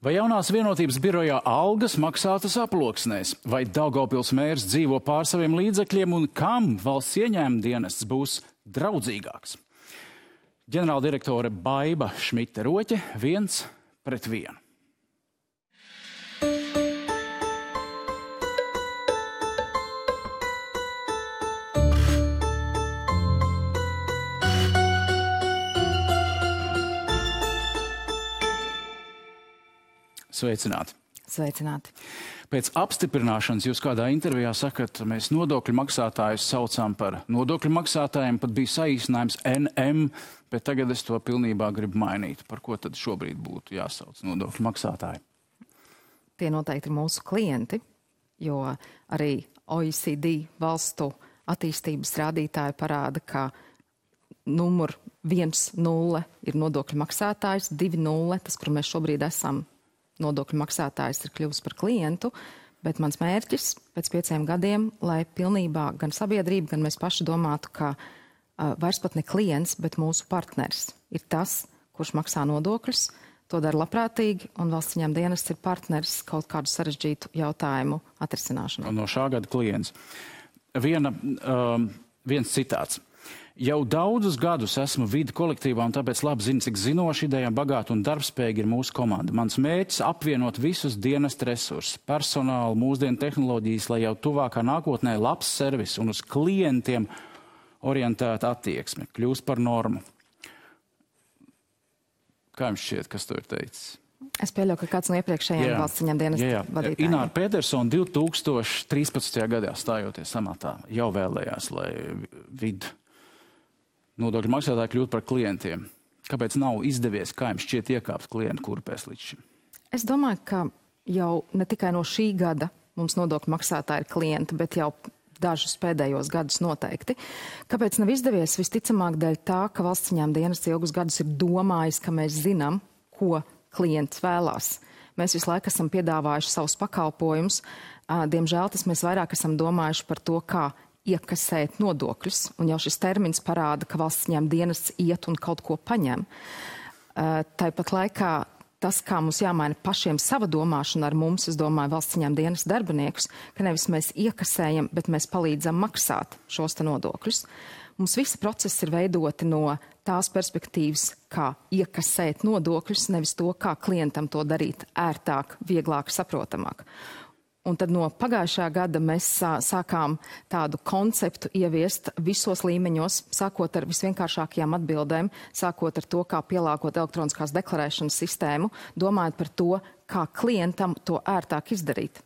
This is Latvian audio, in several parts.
Vai jaunās vienotības birojā algas maksātas aploksnēs? Vai Daugavpils mērs dzīvo pār saviem līdzekļiem un kam valsts ieņēmuma dienests būs draudzīgāks? Ģenerāldirektore Baiba Šmite-Roķe 1-1. Sveicināti. Sveicināti. Pēc apstiprināšanas jūs kādā intervijā sakat, mēs nodokļu maksātājus saucām par nodokļu maksātājiem, pat bija saīsinājums NM, bet tagad es to pilnībā gribu mainīt. Par ko tad šobrīd būtu jāsauc nodokļu maksātāji? Tie noteikti ir mūsu klienti, jo arī OECD valstu attīstības rādītāji parāda, ka numur 1-0 ir nodokļu maksātājs, 2-0, tas, kur mēs šobrīd esam, nodokļu maksātājs ir kļuvis par klientu, bet mans mērķis pēc 5 gadiem, lai pilnībā gan sabiedrība, gan mēs paši domātu, ka vairs pat ne klients, bet mūsu partners ir tas, kurš maksā nodokļus, to dara labprātīgi, un valsts ieņēmuma dienests ir partners kaut kādu sarežģītu jautājumu atrisināšanā. No šā gada klients. Viens citāts. Jau daudzus gadus esmu vidi kolektīvā un tāpēc labi zinu, cik zinoši, idejām bagāta un darbspējīga ir mūsu komanda. Mans mērķis apvienot visus dienesta resursus, personālu, mūsdienu tehnoloģijas, lai jau tuvākā nākotnē labs servis un uz klientiem orientēta attieksme kļūst par normu. Kā jums šķiet, kas to ir teicis? Es pieļauju, ka kāds no iepriekšējiem valsts ieņēmuma dienesta vadītājiem. Ināra Pētersona 2013. gadā stājoties amatā jau vēlējās, lai nodokļu maksātāji kļūt par klientiem. Kāpēc nav izdevies, kā jums šķiet, iekāpt klientu kurpēs līdz šim? Es domāju, ka jau ne tikai no šī gada mums nodokļu maksātāji ir klienti, bet jau dažus pēdējos gadus noteikti. Kāpēc nav izdevies? Visticamāk dēļ tā, ka valsts ieņēmuma dienests ilgus gadus ir domājis, ka mēs zinām, ko klients vēlās. Mēs visu laiku esam piedāvājuši savus pakalpojumus. Diemžēl tas mēs vairāk esam domājuši par to, kā iekasēt nodokļus, un jau šis termins parāda, ka valsts ieņēmuma dienests iet un kaut ko paņem. Tāpat laikā tas, kā mums jāmaina pašiem sava domāšana ar mums, es domāju, valsts ieņēmuma dienesta darbiniekus, ka nevis mēs iekasējam, bet mēs palīdzam maksāt šos te nodokļus. Mums visi procesi ir veidoti no tās perspektīvas, kā iekasēt nodokļus, nevis to, kā klientam to darīt ērtāk, vieglāk, saprotamāk. Un tad no pagājušā gada mēs sākām tādu konceptu ieviest visos līmeņos, sākot ar visvienkāršākajām atbildēm, sākot ar to, kā pielāgot elektroniskās deklarēšanas sistēmu, domājot par to, kā klientam to ērtāk izdarīt.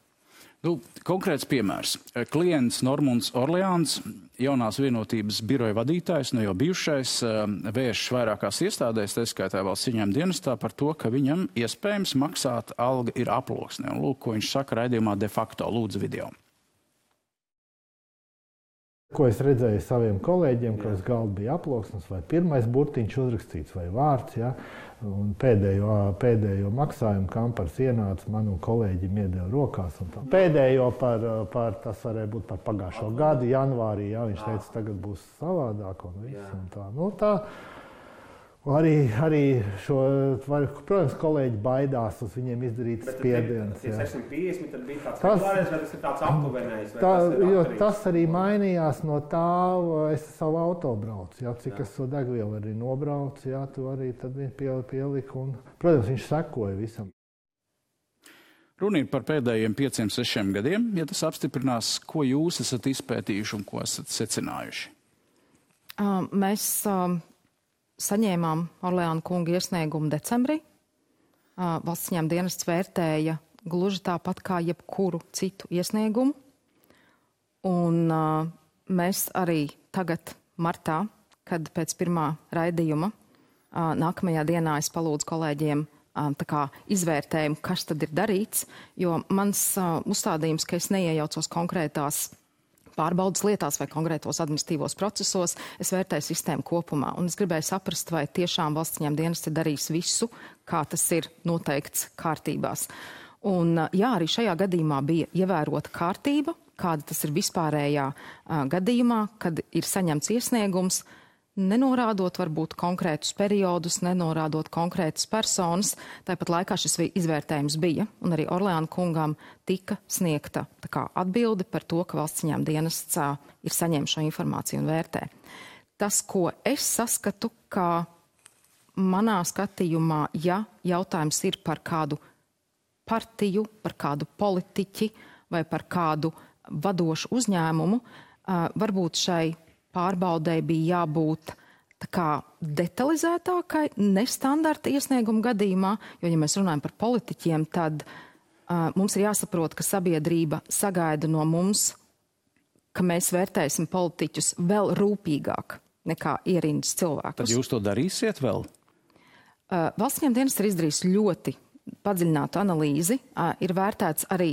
Konkrēts piemērs. Klients Normunds Orleāns, jaunās vienotības biroja vadītājs, jau bijušais, vēršas vairākās iestādēs, tā skaitā valsts ieņēmuma dienestā, par to, ka viņam iespējams maksāt alga ir aploksnē. Un lūk, ko viņš saka raidījumā de facto. Lūdzu video. Ko es redzēju saviem kolēģiem, ka uz galda bija aploksnes vai pirmais burtiņš uzrakstīts vai vārds, ja? Un pēdējo maksājumu kampars ienāca man un kolēģim iedeva rokās. Un pēdējo tas varēja būt par pagājušo gadu, janvārī, ja? Viņš teica, tagad būs savādāk un viss. Un tā. Arī protams, kolēģi baidās uz viņiem izdarīt spiedienus. Bet 650 tad bija tāds regulārais, vai tas ir tāds aptuvenējs? Tas arī mainījās no tā, es savu auto braucu, ja, cik es to degvielu arī nobraucu, ja, tu arī tad pieliku. Un, protams, viņš sekoja visam. Runa ir par pēdējiem 5-6 gadiem, ja tas apstiprinās, ko jūs esat izpētījuši un ko esat secinājuši? Mēs saņēmām Orleāna kunga iesniegumu decembrī. Valsts ieņēmuma dienests vērtēja gluži tāpat kā jebkuru citu iesniegumu. Un mēs arī tagad martā, kad pēc pirmā raidījuma nākamajā dienā es palūdzu kolēģiem izvērtējumu, kas tad ir darīts, jo mans uzstādījums, ka es neiejaucos konkrētās pārbaudas lietās vai konkrētos administratīvos procesos, es vērtēju sistēmu kopumā. Un es gribēju saprast, vai tiešām valsts ieņēmuma dienests ir darījis visu, kā tas ir noteikts kārtībās. Un jā, arī šajā gadījumā bija ievērota kārtība, kāda tas ir vispārējā gadījumā, kad ir saņemts iesniegums. nenorādot varbūt konkrētus periodus, nenorādot konkrētas personas. Tāpat laikā šis izvērtējums bija, un arī Orleāna kungam tika sniegta atbilde par to, ka valsts ieņēmuma dienests ir saņēmis šo informāciju un vērtē. Tas, ko es saskatu, ka manā skatījumā, ja jautājums ir par kādu partiju, par kādu politiķi vai par kādu vadošu uzņēmumu, varbūt šai pārbaudei bija jābūt detalizētākai, nestandarta iesnieguma gadījumā, jo, ja mēs runājam par politiķiem, tad mums ir jāsaprot, ka sabiedrība sagaida no mums, ka mēs vērtēsim politiķus vēl rūpīgāk nekā ierindas cilvēkus. Tad jūs to darīsiet vēl? Valsts ieņēmuma dienests ir izdarījis ļoti padziļinātu analīzi, ir vērtēts arī,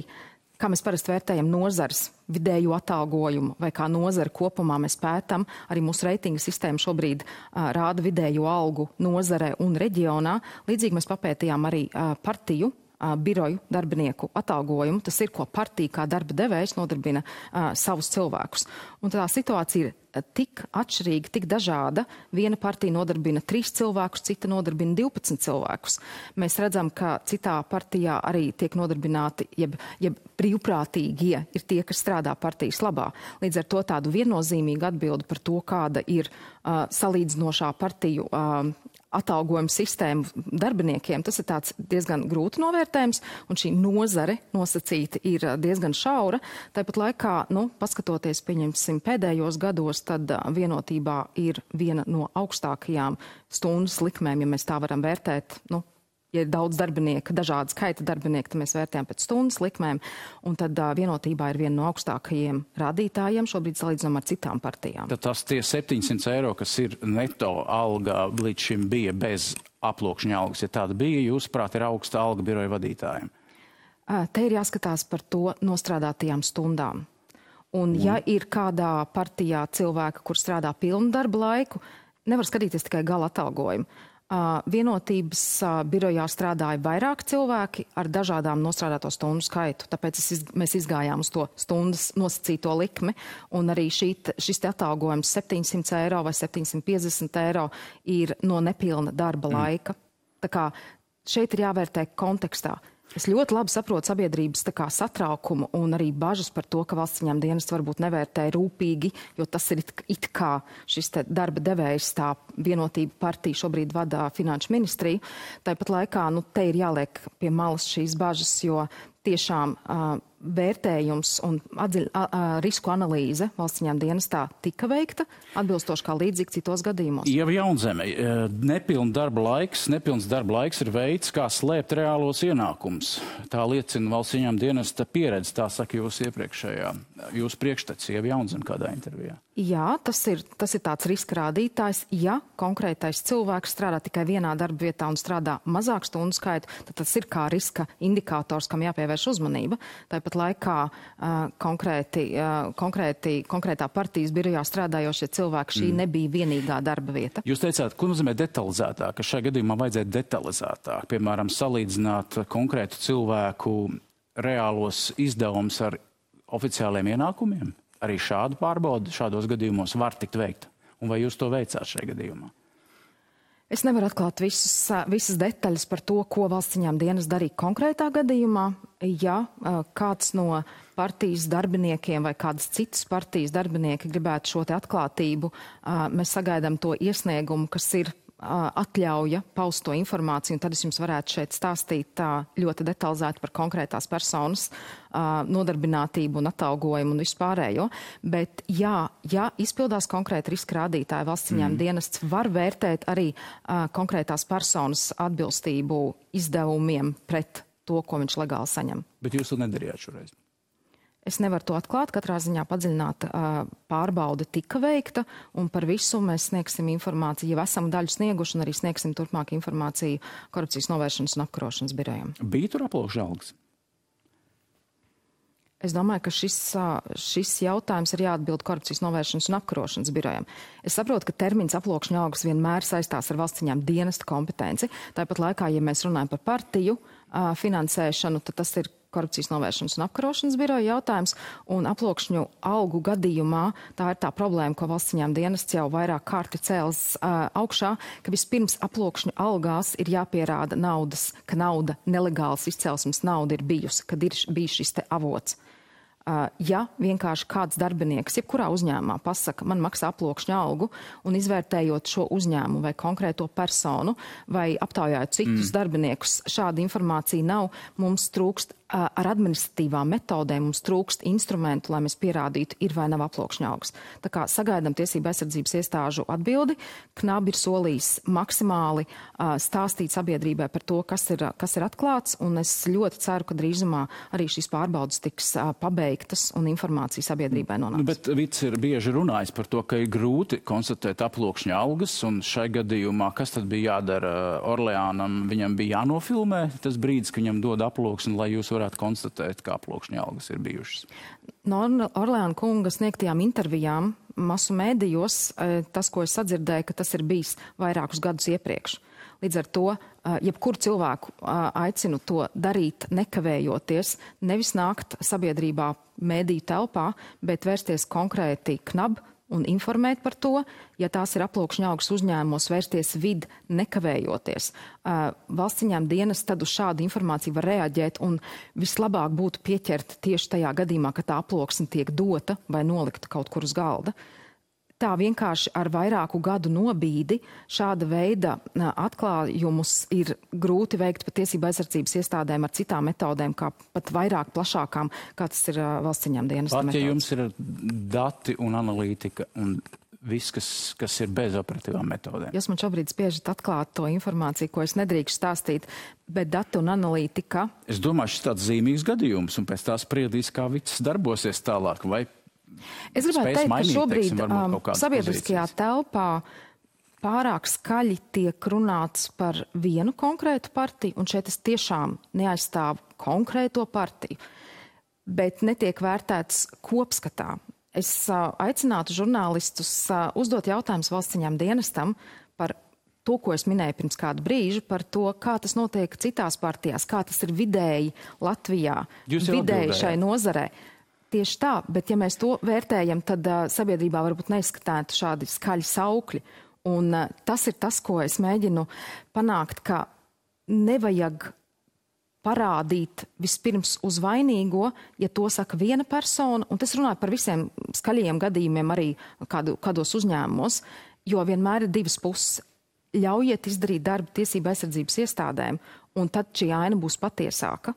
kā mēs parasti vērtējam nozares vidēju atalgojumu vai kā nozara kopumā mēs pētam. Arī mūsu reitinga sistēma šobrīd rāda vidējo algu nozarē un reģionā. Līdzīgi mēs papētījām arī partiju, biroju darbinieku atalgojumu. Tas ir, ko partija kā darba devējs nodarbina savus cilvēkus. Un tā situācija ir tik atšķirīga, tik dažāda. Viena partija nodarbina 3 cilvēkus, cita nodarbina 12 cilvēkus. Mēs redzam, ka citā partijā arī tiek nodarbināti, jeb brīvprātīgie ir tie, kas strādā partijas labā. Līdz ar to tādu viennozīmīgu atbildi par to, kāda ir salīdzinošā partiju atalgojuma sistēmu darbiniekiem, tas ir tāds diezgan grūti novērtējums, un šī nozare nosacīta ir diezgan šaura. Tāpat laikā, paskatoties, pieņemsim, pēdējos gados, tad vienotībā ir viena no augstākajām stundas likmēm, ja mēs tā varam vērtēt. Ja ir daudz darbinieku, dažāda skaita darbinieku, tad mēs vērtējam pēc stundas likmēm, un tad vienotībā ir viena no augstākajiem rādītājiem, šobrīd salīdzinām ar citām partijām. Tad tas tie 700 eiro, kas ir neto alga, līdz šim bija bez aploksņa algas. Ja tāda bija, jūsuprāt, ir augsta alga biroja vadītājiem? Te ir jāskatās par to nostrādātajām stundām. Un ja ir kādā partijā cilvēka, kur strādā pilnu darba laiku, nevar skatīties tikai gala atalgojumu. Vienotības birojā strādāja vairāk cilvēki ar dažādām nostrādāto stundu skaitu. Tāpēc mēs izgājām uz to stundas nosacīto likmi, un arī šis atalgojums 700 eiro vai 750 eiro ir no nepilna darba laika. Tā kā šeit ir jāvērtē kontekstā. Es ļoti labi saprotu sabiedrības satraukumu un arī bažas par to, ka valsts ieņēmuma dienests varbūt nevērtē rūpīgi, jo tas ir it kā šis darba devējs, tā Vienotība partija šobrīd vada Finanšu ministriju. Tāpat laikā te ir jāliek pie malas šīs bažas, jo tiešām vērtējums un risku analīze valsts ieņēmuma dienestā tika veikta atbilstoši kā līdzīgi citos gadījumos. Ieva Jaunzeme, nepilns darba laiks ir veids, kā slēpt reālos ienākumus. Tā liecina valsts ieņēmuma dienesta pieredze, tā saka jūsu priekštecis Ieva Jaunzeme kādā intervijā. Jā, tas ir tāds riska rādītājs. Ja konkrētais cilvēks strādā tikai vienā darba vietā un strādā mazāk stundu skaitu, tad tas ir kā riska indikators, kam jāpievērš uzmanība. Tāpat laikā konkrētā partijas birojā strādājošie cilvēki, šī nebija vienīgā darba vieta. Jūs teicāt, ko nozīmē detalizētāk, ka šajā gadījumā vajadzētu detalizētāk, piemēram, salīdzināt konkrētu cilvēku reālos izdevumus ar oficiāliem ienākumiem? Arī šādu pārbaudu šādos gadījumos var tikt veikta. Un vai jūs to veicāt šajā gadījumā? Es nevaru atklāt visas detaļas par to, ko valsts ieņēmuma dienests darīja konkrētā gadījumā. Ja kāds no partijas darbiniekiem vai kādas citas partijas darbinieki gribētu šo te atklātību, mēs sagaidām to iesniegumu, kas ir atļauja paust to informāciju, un tad es jums varētu šeit stāstīt ļoti detalizēti par konkrētās personas nodarbinātību un atalgojumu un vispārējo. Bet ja izpildās konkrēti riska rādītāji, valsts ieņēmuma dienests var vērtēt arī konkrētās personas atbilstību izdevumiem pret to, ko viņš legāli saņem. Bet jūs to nedarījāt šoreiz? Es nevaru to atklāt, katrā ziņā padziļināta pārbaude tika veikta, un par visu mēs sniegsim informāciju, jau esam daļu snieguši, un arī sniegsim turpmāk informāciju korupcijas novēršanas un apkarošanas birojam. Bija tur aploksņa algas? Es domāju, ka šis jautājums ir jāatbild korupcijas novēršanas un apkarošanas birojam. Es saprotu, ka termins aploksņa algas vienmēr saistās ar valsts ieņēmuma dienesta kompetenci. Tāpat laikā, ja mēs runājam par partiju finansēšanu, tad tas ir korupcijas novēršanas un apkarošanas biroja jautājums, un aploksņu algu gadījumā tā ir tā problēma, ko valsts ieņēmuma dienests jau vairāk kārti cēls augšā, ka vispirms aploksņu algās ir jāpierāda ka nauda, nelegāls izcelsmes nauda ir bijusi, kad ir bijis šis te avots. Ja vienkārši kāds darbinieks, jebkurā uzņēmumā pasaka, man maksā aploksņu algu, un izvērtējot šo uzņēmumu vai konkrēto personu, vai aptaujājot citus darbiniekus, šāda informācija nav, mums trūkst ar administratīvām metodēm, mums trūkst instrumentu, lai mēs pierādītu, ir vai nav aploksņu algas. Tā kā sagaidām tiesību aizsardzības iestāžu atbildi, KNAB ir solījis maksimāli stāstīt sabiedrībai par to, kas ir atklāts, un es ļoti ceru, ka drīzumā arī šīs pārbaudas tiks pabeigtas un informācija sabiedrībai nonāks. Bet Vits ir bieži runājis par to, ka ir grūti konstatēt aploksņu algas, un šai gadījumā, kas tad bija jādara Orleānam, viņam bija jānofilmē tas brīdis, ka viņam dod aploksni, lai jūs varētu konstatēt, kā aploksņu algas ir bijušas. No Orleāna kunga sniegtajām intervijām masu mēdījos, tas, ko es sadzirdēju, ka tas ir bijis vairākus gadus iepriekš. Līdz ar to, jebkuru cilvēku aicinu to darīt nekavējoties, nevis nākt sabiedrībā mēdīju telpā, bet vērsties konkrēti KNAB un informēt par to, ja tās ir aploksņu algas uzņēmumos, vērsties nekavējoties. Valsts ieņēmuma dienests tad uz šādu informāciju var reaģēt, un vislabāk būtu pieķert tieši tajā gadījumā, ka tā aploksne tiek dota vai nolikta kaut kur uz galda. Tā vienkārši ar vairāku gadu nobīdi šāda veida atklājumus ir grūti veikt pat tiesību aizsardzības iestādēm ar citām metodēm, kā pat vairāk plašākām, kā tas ir valsts ieņēmuma dienesta metodas. Pat, ja jums ir dati un analītika un viss, kas ir bez operatīvām metodēm. Jūs man šobrīd spiežat atklāt to informāciju, ko es nedrīkstu stāstīt, bet dati un analītika... Es domāju, šis tāds zīmīgs gadījums, un pēc tā spriedīs, kā Vits darbosies tālāk, vai es gribētu teikt, ka šobrīd sabiedriskajā pozīcijas telpā pārāk skaļi tiek runāts par vienu konkrētu partiju, un šeit es tiešām neaizstāvu konkrēto partiju, bet netiek vērtēts kopskatā. Es aicinātu žurnālistus uzdot jautājumus valsts ieņēmuma dienestam par to, ko es minēju pirms kādu brīžu, par to, kā tas notiek citās partijās, kā tas ir vidēji Latvijā, vidēji šai nozarē. Tieši tā, bet ja mēs to vērtējam, tad sabiedrībā varbūt neizskatētu šādi skaļi saukļi. Un tas ir tas, ko es mēģinu panākt, ka nevajag parādīt vispirms uz vainīgo, ja to saka viena persona, un tas runāja par visiem skaļajiem gadījumiem arī kādos uzņēmumos, jo vienmēr ir divas puses. Ļaujiet izdarīt darbu tiesību aizsardzības iestādēm, un tad šī aina būs patiesāka.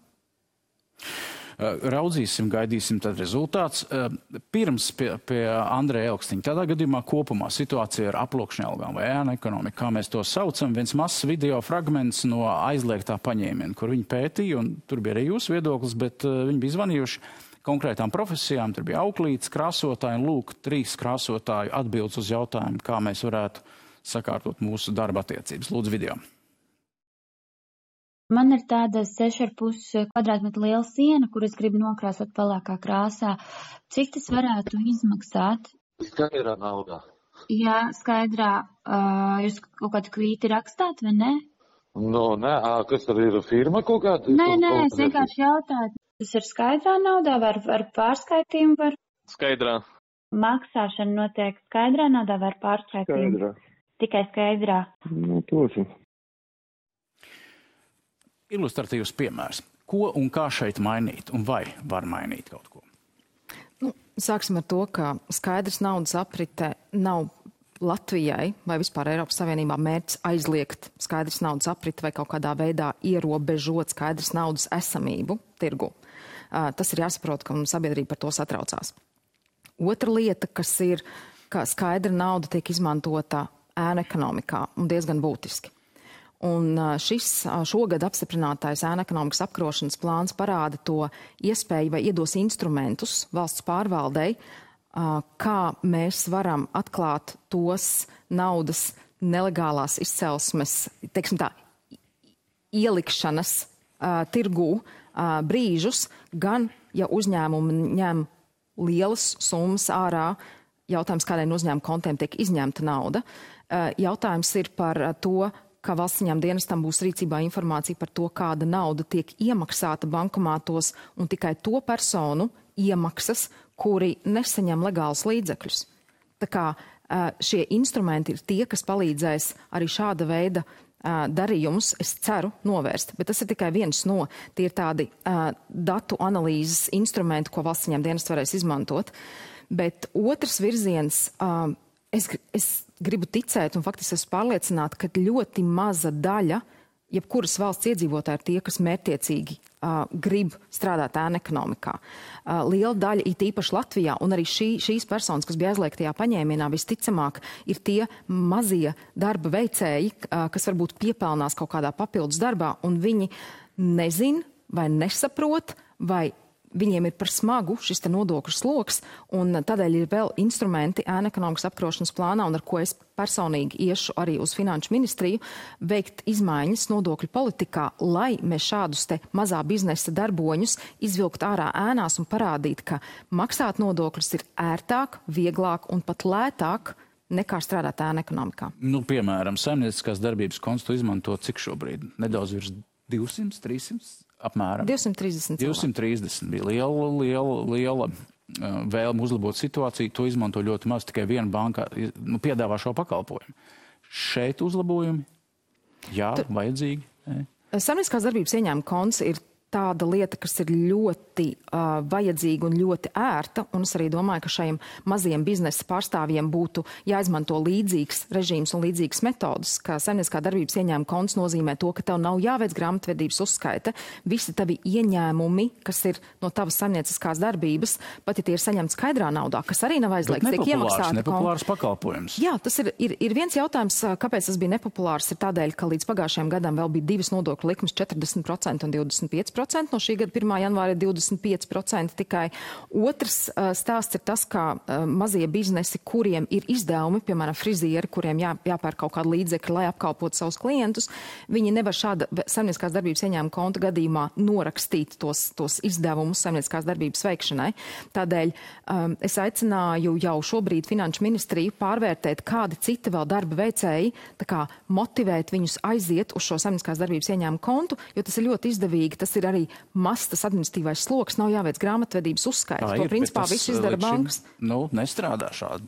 Raudzīsim, gaidīsim tad rezultāts. Pirms pie Andreja Elkstiņa. Tādā gadījumā kopumā situācija ar aploksņu algām vai ēnu ekonomiku, kā mēs to saucam, viens mazs video fragments no aizliegtā paņēmiena, kur viņi pētīja, un tur bija arī jūsu viedoklis, bet viņi bija zvanījuši konkrētām profesijām. Tur bija auklītes, krāsotāji, un lūk, 3 krāsotāju atbildes uz jautājumu, kā mēs varētu sakārtot mūsu darba attiecības. Lūdzu, video. Man ir tāda 6,5 kvadrātmetru liela siena, kur es gribu nokrāsot pelēkā krāsā. Cik tas varētu izmaksāt? Skaidrā naudā. Jā, skaidrā. Jūs kaut kādu kvīti rakstāt, vai ne? Nē, kas tad ir firma kaut kāda? Nē, es vienkārši jautāju. Tas ir skaidrā naudā, var pārskaitījumu, var? Skaidrā. Maksāšana notiek skaidrā naudā, var pārskaitījumu? Skaidrā. Tikai skaidrā. Toši. Ilustratīvs piemērs. Ko un kā šeit mainīt, un vai var mainīt kaut ko? Sāksim ar to, ka skaidrs naudas aprite nav Latvijai vai vispār Eiropas Savienībā mērķis aizliegt skaidrs naudas aprite vai kaut kādā veidā ierobežot skaidrs naudas esamību tirgu. Tas ir jāsaprot, ka sabiedrība par to satraucās. Otra lieta, kas ir, ka skaidra nauda tiek izmantota ēnu ekonomikā un diezgan būtiski. Un šis šogad apstiprinātais ēnu ekonomikas apkarošanas plāns parāda to iespēju vai iedos instrumentus valsts pārvaldei, kā mēs varam atklāt tos naudas nelegālās izcelsmes, teiksim tā, ielikšanas tirgū brīžus, gan ja uzņēmumi ņem lielas summas ārā, jautājums, kādēļ no uzņēmuma kontiem tiek izņemta nauda. Jautājums ir par to, ka valsts ieņēmuma dienestam būs rīcībā informācija par to, kāda nauda tiek iemaksāta bankomātos un tikai to personu iemaksas, kuri nesaņem legālus līdzekļus. Tā kā šie instrumenti ir tie, kas palīdzēs arī šāda veida darījumus, es ceru, novērst. Bet tas ir tikai viens no, tie ir tādi datu analīzes instrumenti, ko valsts ieņēmuma dienests varēs izmantot. Bet otrs virziens, es gribu ticēt, un faktiski esmu pārliecināta, ka ļoti maza daļa, jebkuras valsts iedzīvotāji ir tie, kas mērķtiecīgi grib strādāt ēnu ekonomikā. Liela daļa, it īpaši Latvijā, un arī šīs personas, kas bija aizliegtajā paņēmienā, visticamāk, ir tie mazie darba veicēji, kas varbūt piepelnās kaut kādā papildus darbā, un viņi nezin vai nesaprot, vai viņiem ir par smagu šis te nodokļu sloks, un tādēļ ir vēl instrumenti ēnu ekonomikas apkarošanas plānā, un ar ko es personīgi iešu arī uz Finanšu ministriju, veikt izmaiņas nodokļu politikā, lai mēs šādus te mazā biznesa darboņus izvilkt ārā ēnās un parādīt, ka maksāt nodokļus ir ērtāk, vieglāk un pat lētāk nekā strādāt ēnu ekonomikā. Nu, piemēram, saimnieciskās darbības konstu izmanto cik šobrīd? Nedaudz virs 200, 300? Apmēram. 230 bija liela vēlme uzlabot situāciju. To izmanto ļoti maz, tikai viena banka piedāvā šo pakalpojumu. Šeit uzlabojumi? Jā, vajadzīgi. Saimnieciskās darbības ieņēmuma konts ir tāda lieta, kas ir ļoti vajadzīga un ļoti ērta, un es arī domāju, ka šajiem maziem biznesa pārstāvjiem būtu jāizmanto līdzīgs režīms un līdzīgas metodas, ka saimnieciskā darbības ieņēmuma konts nozīmē to, ka tev nav jāveic grāmatvedības uzskaite, visi tavi ieņēmumi, kas ir no tavas saimnieciskās darbības, pat ja tie ir saņemti skaidrā naudā, kas arī nav aizliegts, tiek iemaksāti. Nepopulārs pakalpojums. Jā, tas ir viens jautājums, kāpēc tas bija nepopulārs, ir tādēļ, ka līdz pagājušajam gadam vēl bija divas nodokļu likmes 40% un 25%. No šī gada 1. janvāra ir 25% tikai. Otrs stāsts ir tas, ka mazie biznesi, kuriem ir izdevumi, piemēram, frizieri, kuriem jāpērk kaut kādu līdzekļu, lai apkalpotu savus klientus, viņi nevar šāda saimnieciskās darbības ieņēmuma konta gadījumā norakstīt tos izdevumus saimnieciskās darbības veikšanai. Tādēļ es aicināju jau šobrīd Finanšu ministriju pārvērtēt, kādi citi vēl darba veicēji, tā kā motivēt viņus aiziet uz šo saimnieciskās darbības ieņēmuma kontu, jo tas ir ļoti izdevīgi, tas ir arī mazs tas administratīvais sloks, nav jāveic grāmatvedības uzskaits. To principā viss izdara bankas. Nestrādā šādi.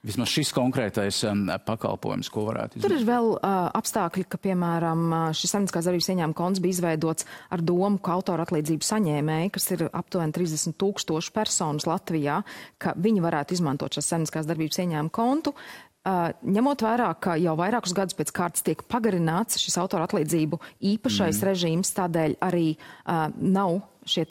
Vismaz šis konkrētais pakalpojums, ko varētu izmantot. Tur ir vēl apstākļi, ka, piemēram, šis saimnieciskās darbības ieņēmuma konts bija izveidots ar domu, ka autora atlīdzību saņēmēji, kas ir aptuveni 30,000 personas Latvijā, ka viņi varētu izmantot šās saimnieciskās darbības ieņēmuma kontu. Ņemot vērā, ka jau vairākus gadus pēc kārtas tiek pagarināts šis autora atlīdzību īpašais režīms, tādēļ arī nav šie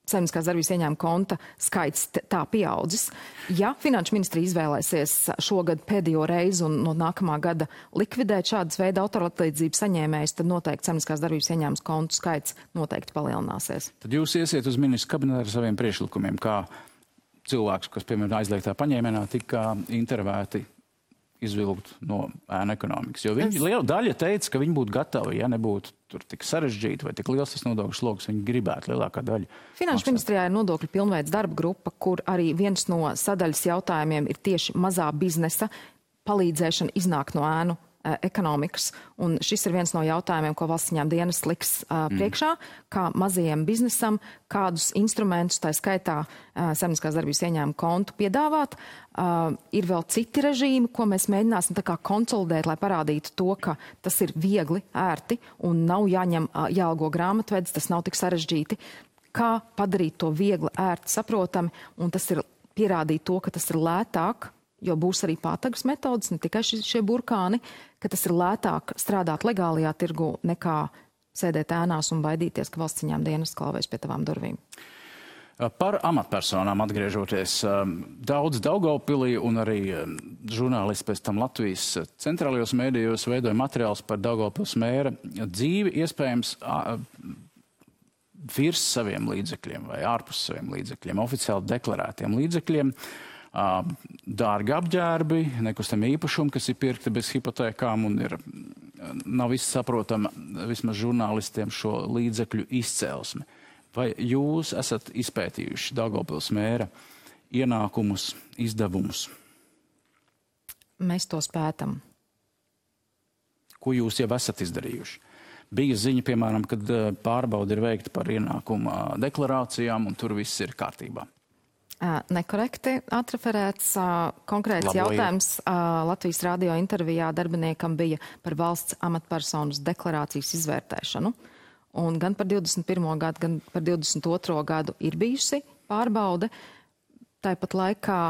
saimnieciskās darbības ieņēmuma konta skaits tā pieaudzis. Ja Finanšu ministrija izvēlēsies šogad pēdējo reizi un no nākamā gada likvidēt šādas veida autora atlīdzības saņēmējus, tad noteikti saimnieciskās darbības ieņēmuma kontu skaits noteikti palielināsies. Tad jūs iesiet uz ministru kabinetu ar saviem priekšlikumiem, kā cilvēks, kas, piemēram, aizliegtā paņēmienā tika intervēti izvilkt no ēnu ekonomikas. Jo viņi liela daļa teica, ka viņi būtu gatavi, ja nebūtu tur tik sarežģīti vai tik liels tas nodokļu sloks, viņi gribētu lielākā daļa. Finanšu ministrijā ir nodokļu pilnveids darba grupa, kur arī viens no sadaļas jautājumiem ir tieši mazā biznesa palīdzēšana iznākt no ēnu ekonomikas. Un šis ir viens no jautājumiem, ko valsts ieņēmuma dienests liks priekšā, kā mazajiem biznesam, kādus instrumentus, tā skaitā saimnieciskās darbības ieņēmuma kontu piedāvāt. Ir vēl citi režīmi, ko mēs mēģināsim tā kā konsolidēt, lai parādītu to, ka tas ir viegli, ērti un nav jāalgo grāmatvedis, tas nav tik sarežģīti. Kā padarīt to viegli, ērti, saprotami, un tas ir pierādīt to, ka tas ir lētāk, jo būs arī pātagas metodas, ne tikai šie burkāni, ka tas ir lētāk strādāt legālajā tirgu nekā sēdēt ēnās un baidīties, ka valsts ieņēmuma dienests klauvēs pie tavām durvīm. Par amatpersonām atgriežoties, daudz Daugavpilī un arī žurnālisti pēc tam Latvijas centrālajos mēdījos veidoja materiālus par Daugavpils mēra dzīvi, iespējams virs saviem līdzekļiem vai ārpus saviem līdzekļiem, oficiāli deklarētiem līdzekļiem. Dārgi apģērbi, nekustami īpašumi, kas ir pirkti bez hipotēkām un nav viss saprotama vismaz žurnālistiem šo līdzekļu izcelsmi. Vai jūs esat izpētījuši Daugavpils mēra ienākumus, izdevumus? Mēs to spētam. ko jūs jau esat izdarījuši. Bija ziņa, piemēram, kad pārbauda ir veikta par ienākuma deklarācijām, un tur viss ir kārtībā. Nekorekti atreferēts konkrēts jautājums. Latvijas radio intervijā darbiniekam bija par valsts amatpersonas deklarācijas izvērtēšanu. Un gan par 21. gadu, gan par 22. gadu ir bijusi pārbaude. Tāpat laikā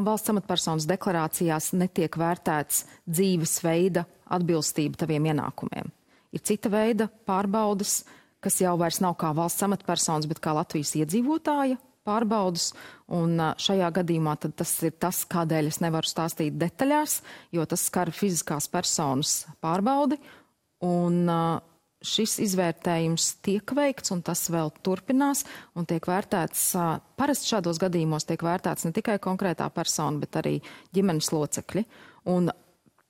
valsts amatpersonas deklarācijās netiek vērtēts dzīvesveida atbilstība taviem ienākumiem. Ir cita veida pārbaudes, kas jau vairs nav kā valsts amatpersonas, bet kā Latvijas iedzīvotāja pārbaudas. Un šajā gadījumā tad tas ir tas, kādēļ es nevaru stāstīt detaļās, jo tas skar fiziskās personas pārbaudi. Un šis izvērtējums tiek veikts, un tas vēl turpinās, un tiek vērtēts, parasti šādos gadījumos tiek vērtēts ne tikai konkrētā persona, bet arī ģimenes locekļi. Un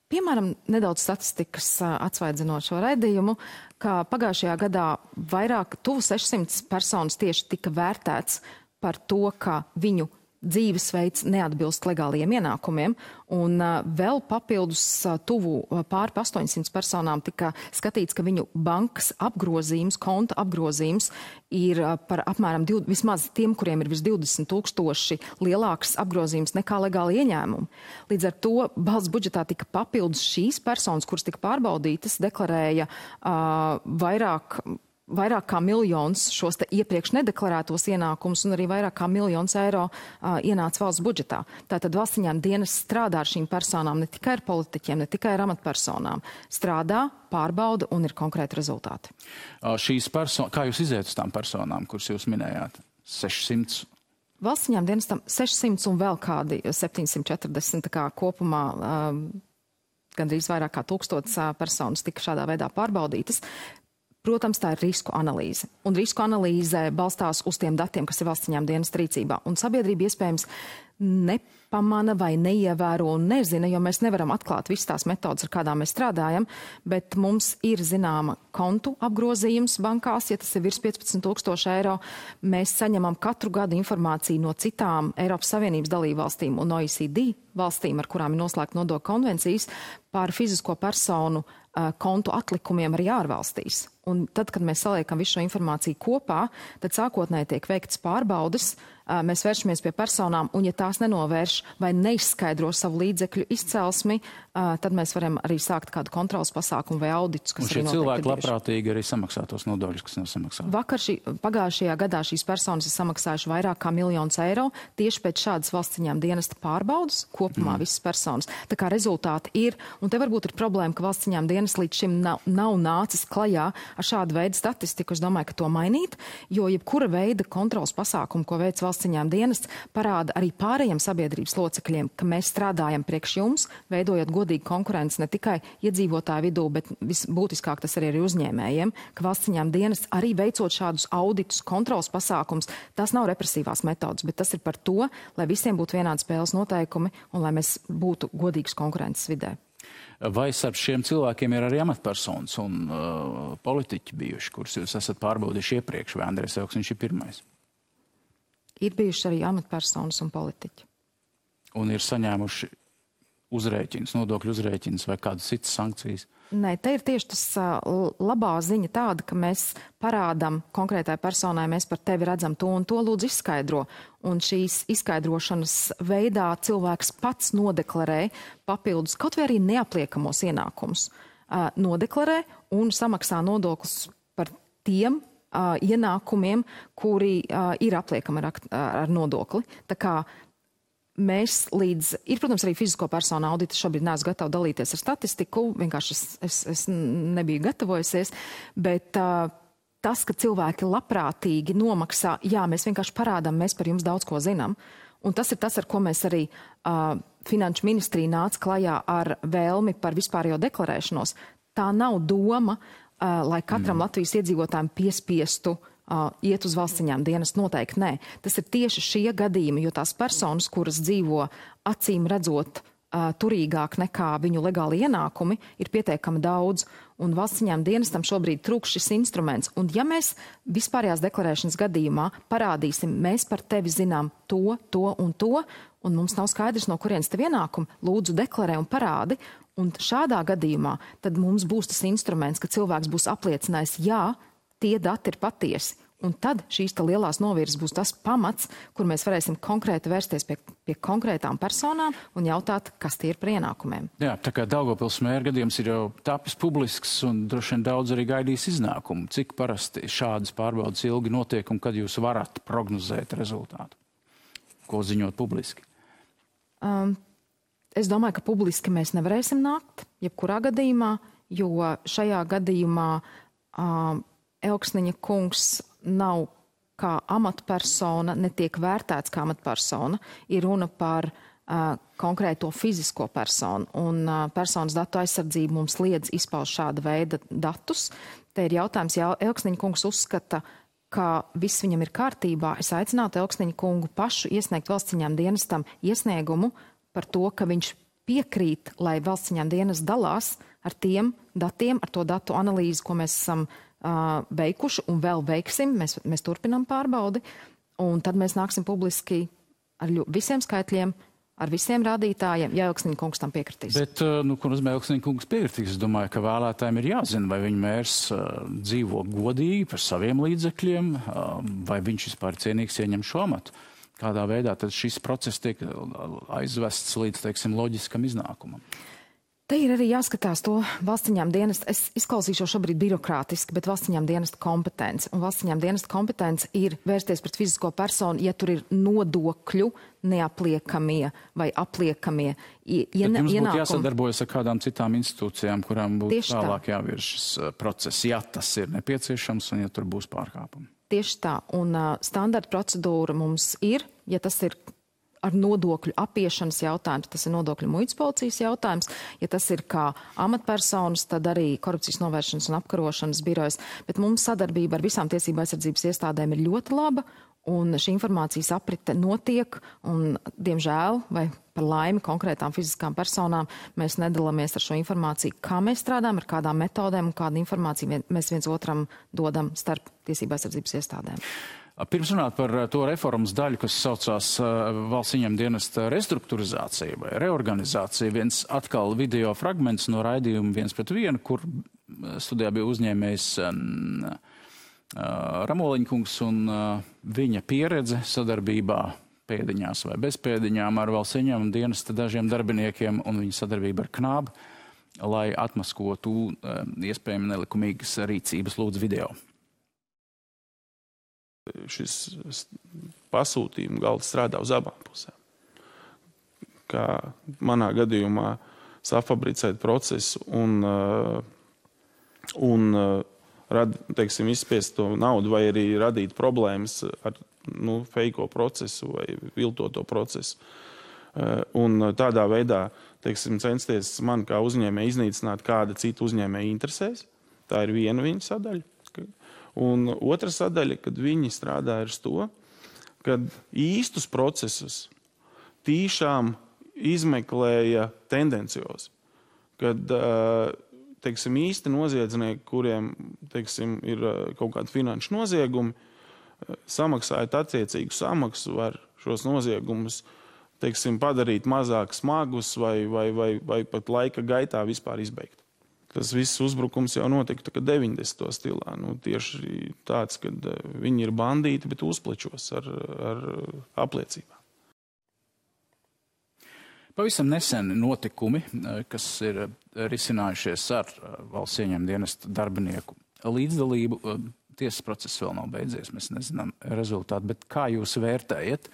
piemēram, nedaudz statistikas atsvaidzinot šo raidījumu, ka pagājušajā gadā vairāk tuvu 600 personas tieši tika vērtēts par to, ka viņu dzīvesveids neatbilst legāliem ienākumiem, un vēl papildus tuvu pāri 800 personām tika skatīts, ka viņu bankas apgrozījums, konta apgrozījums ir par apmēram vismaz tiem, kuriem ir virs 20 000 lielāks apgrozījums nekā legāli ieņēmumi. Līdz ar to valsts budžetā tika papildus šīs personas, kuras tika pārbaudītas, deklarēja vairāk kā miljons šos te iepriekš nedeklarētos ienākumus, un arī vairāk kā miljons eiro ienāca valsts budžetā. Tātad valsts ieņēmuma dienests strādā ar šīm personām, ne tikai ar politiķiem, ne tikai ar amatpersonām. Strādā, pārbauda un ir konkrēti rezultāti. Šīs personas, kā jūs iziet uz tām personām, kuras jūs minējāt? 600? Valsts ieņēmuma dienestam 600 un vēl kādi 740, kā kopumā gandrīz vairāk kā 1000 personas tika šādā veidā pārbaudītas. Protams, tā ir risku analīze. Un risku analīze balstās uz tiem datiem, kas ir valsts ieņēmuma dienesta rīcībā. Un sabiedrība iespējams nepamana vai neievēro un nezina, jo mēs nevaram atklāt visas tās metodas, ar kādām mēs strādājam, bet mums ir zināma kontu apgrozījums bankās, ja tas ir virs 15 000 eiro. Mēs saņemam katru gadu informāciju no citām Eiropas Savienības dalībvalstīm un OECD valstīm, ar kurām ir noslēgta nodokļu konvencijas, par fizisko personu kontu atlikumiem arī ārvalstīs. Un tad, kad mēs saliekam visu šo informāciju kopā, tad sākotnēji tiek veikts pārbaudes, mēs vēršamies pie personām, un ja tās nenovērš vai neizskaidro savu līdzekļu izcelsmi, tad mēs varam arī sākt kādu kontrolas pasākumu vai auditus, kas arī notiek. Un šie cilvēki labprātīgi arī samaksā tos nodokļus, kas nav samaksāti. Pagājušajā gadā šīs personas ir samaksājuši vairāk kā 1 000 000 eiro tieši pēc šādas valsts ieņēmuma dienesta pārbaudas, kopumā visas personas. Tā kā rezultāti ir, un te varbūt ir problēma, ka valsts ieņēmuma dienests līdz šim nav nācis klajā ar šādu veidu statistiku. Es domāju, ka to mainīt, jo jebkura veida kontrolas pasākumu, ko veic valsts ieņēmuma dienests, parāda arī pārējiem sabiedrības locekļiem, ka mēs strādājam priekš jums, veidojot godīgu konkurenci ne tikai iedzīvotāju vidū, bet visbūtiskāk tas arī ir uzņēmējiem, ka valsts ieņēmuma dienests arī veicot šādus auditus, kontrolas pasākums, tas nav represīvās metodas, bet tas ir par to, lai visiem būtu vienādi spēles noteikumi un lai mēs būtu godīgas konkurences vidē. Vai starp šiem cilvēkiem ir arī amatpersonas un politiķi bijuši, kurus jūs esat pārbaudījuši iepriekš, vai Andrejs Elksniņš ir pirmais? Ir bijuši arī amatpersonas un politiķi. Un ir saņēmuši uzrēķinus, nodokļu uzrēķinus vai kādas citas sankcijas? Nē, te ir tieši tas labā ziņa tāda, ka mēs parādam konkrētai personai, mēs par tevi redzam to un to, lūdzu izskaidro. Un šīs izskaidrošanas veidā cilvēks pats nodeklarē papildus, kaut vai arī neapliekamos ienākumus. Nodeklarē un samaksā nodokļus par tiem ienākumiem, kuri ir apliekami ar nodokli. Tā kā mēs ir, protams, arī fizisko personu audita. Šobrīd neesmu gatava dalīties ar statistiku, vienkārši es nebiju gatavojusies, bet tas, ka cilvēki labprātīgi nomaksā, jā, mēs vienkārši parādām, mēs par jums daudz ko zinām. Un tas ir tas, ar ko mēs arī Finanšu ministrija nāca klajā ar vēlmi par vispārējo deklarēšanos. Tā nav doma, lai katram Latvijas iedzīvotājiem piespiestu iet uz valsts ieņēmuma dienestu, noteikti nē. Tas ir tieši šie gadījumi, jo tās personas, kuras dzīvo acīm redzot turīgāk nekā viņu legāli ienākumi, ir pietiekami daudz, un valsts ieņēmuma dienestam šobrīd trūkst šis instruments. Un ja mēs vispārējās deklarēšanas gadījumā parādīsim, mēs par tevi zinām to un to, un mums nav skaidrs, no kurienes tev ienākumi, lūdzu deklarē un parādi, Un šādā gadījumā tad mums būs tas instruments, ka cilvēks būs apliecinājis, jā, tie dati ir patiesi. Un tad šīs lielās novirzes būs tas pamats, kur mēs varēsim konkrēti vērsties pie konkrētām personām un jautāt, kas tie ir par ienākumiem. Jā, tā kā Daugavpils mēra gadījums ir jau tapis publisks un droši vien daudz arī gaidīs iznākumu. Cik parasti šādas pārbaudas ilgi notiek un kad jūs varat prognozēt rezultātu? Ko ziņot publiski? Es domāju, ka publiski mēs nevarēsim nākt, jebkurā gadījumā, jo šajā gadījumā Elksniņa kungs nav kā amatpersona, netiek vērtēts kā amatpersona. Ir runa par konkrēto fizisko personu, un personas datu aizsardzība mums liedz izpaust šāda veida datus. Te ir jautājums, ja Elksniņa kungs uzskata, ka viss viņam ir kārtībā, es aicinātu Elksniņa kungu pašu iesniegt valsts ieņēmuma dienestam iesniegumu par to, ka viņš piekrīt, lai valsts ieņēmuma dienests dalās ar tiem datiem, ar to datu analīzi, ko mēs esam veikuši un vēl veiksim. Mēs turpinām pārbaudi, un tad mēs nāksim publiski ar visiem skaitļiem, ar visiem rādītājiem, ja Elksniņa kungs tam piekritīs. Bet, ko nozīmē Elksniņa kungs piekritīs? Es domāju, ka vēlētājiem ir jāzina, vai viņa mērs dzīvo godīgi par saviem līdzekļiem, vai viņš vispār cienīgs ieņem šo amatu. Kādā veidā tad šis process tiek aizvests līdz, teiksim, loģiskam iznākumam? Te ir arī jāskatās to valsts ieņēmuma dienesta. Es izklausīšos šobrīd birokrātiski, bet valsts ieņēmuma dienesta kompetence. Un valsts ieņēmuma dienesta kompetence ir vērsties pret fizisko personu, ja tur ir nodokļu neapliekamie vai apliekamie ienākumi. Jums būtu jāsadarbojas ar kādām citām institūcijām, kurām būtu tālāk jāvirz šis process, ja tas ir nepieciešams un ja tur būs pārkāpumi. Tieši tā. Un standarta procedūra mums ir, ja tas ir ar nodokļu apiešanas jautājums, tas ir nodokļu muitas policijas jautājums. Ja tas ir kā amatpersonas, tad arī korupcijas novēršanas un apkarošanas birojas. Bet mums sadarbība ar visām tiesību aizsardzības iestādēm ir ļoti laba, un šī informācijas aprite notiek, un, diemžēl, vai par laimi konkrētām fiziskām personām, mēs nedalāmies ar šo informāciju, kā mēs strādājam, ar kādām metodēm un kādu informāciju mēs viens otram dodam starp tiesību aizsardzības iestādēm. Pirms runāt par to reformas daļu, kas saucās valsts ieņēmuma dienesta restruktūrizācija vai reorganizācija, viens atkal video fragments no raidījuma 1:1, kur studijā bija uzņēmējs Ramoliņkungs un viņa pieredze sadarbībā pēdiņās vai bez pēdiņām ar valsts ieņēmuma dienesta dažiem darbiniekiem un viņa sadarbība ar Knābu, lai atmaskotu iespējami nelikumīgas rīcības. Lūdzu video. Šis pasūtījuma galds strādā uz abām pusēm. Kā manā gadījumā safabricēt procesu un teiksim, izspiest to naudu vai arī radīt problēmas ar feiko procesu vai viltoto procesu. Un tādā veidā, teiksim, censties man kā uzņēmēji iznīcināt kāda cita uzņēmēja interesēs. Tā ir viena viņa sadaļa. Un otra sadaļa, kad viņi strādā ar to, kad īstus procesus tīšām izmeklēja tendenciozi. Kad, teiksim, īsti noziedznieki, kuriem, teiksim, ir kaut kādi finanšu noziegumi, samaksājot attiecīgu samaksu, var šos noziegumus, teiksim, padarīt mazāk smagus vai pat laika gaitā vispār izbeigt. Tas viss uzbrukums jau notika 90. stilā. Tieši tāds, kad viņi ir bandīti, bet uzplečos ar apliecībām. Pavisam nesen notikumi, kas ir risinājušies ar valsts ieņēmuma dienesta darbinieku līdzdalību. Tiesas process vēl nav beidzies, mēs nezinām rezultātu, bet kā jūs vērtējat